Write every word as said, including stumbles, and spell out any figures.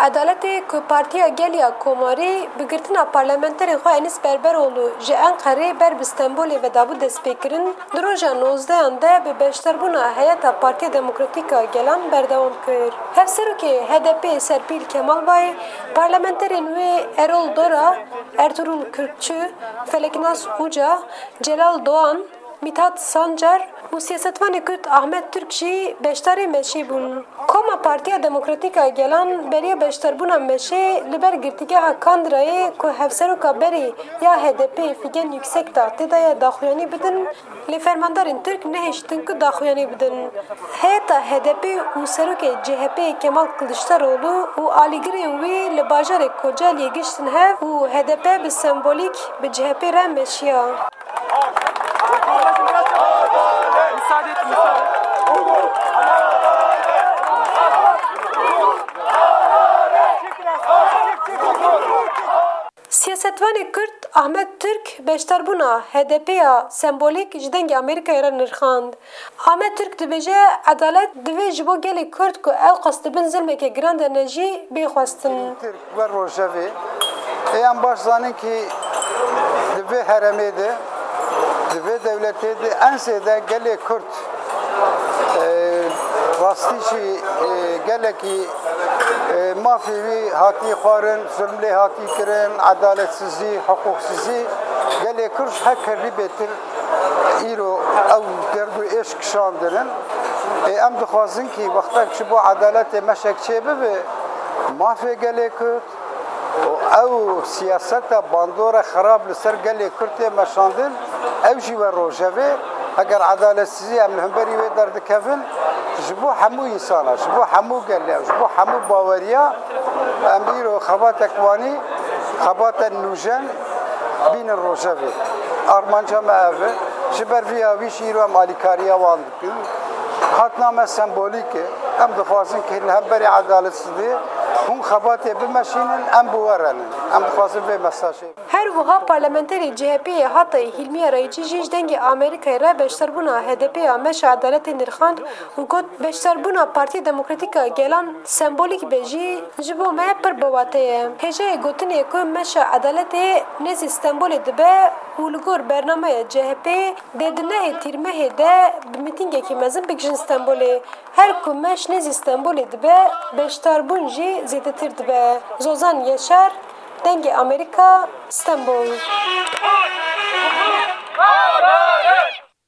Edaletê ku Partiya Gel ya Komarî bi girtina parlamenterê xwe Enîs Berberoğlu ji Enqerê ber bi Stenbolê ve dabû destpêkirin, di roja nozdehan de bi beşdarbûna heyeta Partiya Demokratîk a Gelan berdewam kir. Hevserokê H D P Serpîl Kemalbay, parlamenterên wê Erol Dora, Ertuğrul Kürkçü, Feleknas Uca, Celal Doğan, Mithat Sancar û siyasetvanê Kurd Ahmet Türk jî beşdarê meşê bûn. Koma Partiya Demokratîk a Gelan beriya beşdarbûna meşê li ber girtîgeha Kandirayê ku hevseroka berê ya H D P Figen Yüksekdağ tê de ye daxuyanî bidin, lê fermandarên Tirk nehiştin ku daxuyanî bidin. Heyeta H D P û serokê C H P Kemal Kılıçdaroğlu û alîgirên wî li bajarê Kocaeli'yê giştin hev û H D P bi sembolîk bi C H P re meşiya. Müsaade et, müsaade et. Siyasetvanê Kurd Ahmet Türk beşdarbûna H D P ya sembolîk ji Dengê Amerîkayê re nirxand. Ahmet Türk dibêje, edalet divê ji bo gelê Kurd ku ew qas di bin zilmeke giran de ne jî bê xwestin. Tirk wer rojevê. Ê em baş zanin kî di vê heremê de, di vê dewletê de en zêde gelê Kurd, e, rastî jî, e, gelekî, e, mafê wî hatî xwarin, zulm lê hatî kirin, edaletsizî, hiqûqsizî, gelê Kurd ji her kerî bêtir îro ew derd û êş kişandin in. Ê, em dixwazin kî wextek ji bo edaletê meşek çêbibe, mafê gelê Kurd û ew siyaseta bandora xerab li ser gelê Kurd tê meşandin, ew jî we rojevê, eger edaletsizî em li hemberî wê derdikevin, ji bo hemû însana, ji bo hemû gelê, ji bo hemû baweriya, em îro xebatek wanî, xebatek nûjen bînin rojevê. Armanca me ev e. Ji ber vî ya wî jî îro em alîkariya wan dikin. Hatina me sembolîk e. Em dixwazin ku li hemberî edaletsiziyê hûn xebatê bimeşînin, em bi we re nin. Em dixwazin vê mesajê. Her wiha parlamenterê C H P'ê Hatayê Hîlmiye Rayîçî jî ji Dengê Amerîkayê re beşdarbûna H D P ya Meşa Edaletê nirxand û got, beşdarbûna Partiya Demokratîk a Gelan sembolîk be jî ji bo me pir bi wate ye. Hêjayê gotinê ku Meşa Edaletê nêzî Stenbolê dibe û li gor bernameya C H P'ê dê di nehê Tîrmehê de bi mîtîngekî mezin bigihîjin Stenbolê. Her ku meş nêzî Stenbolê dibe, beşdarbûn jî zêdetir dibe. Zozan Yaşar, Dengê Amerîka, Stenbol.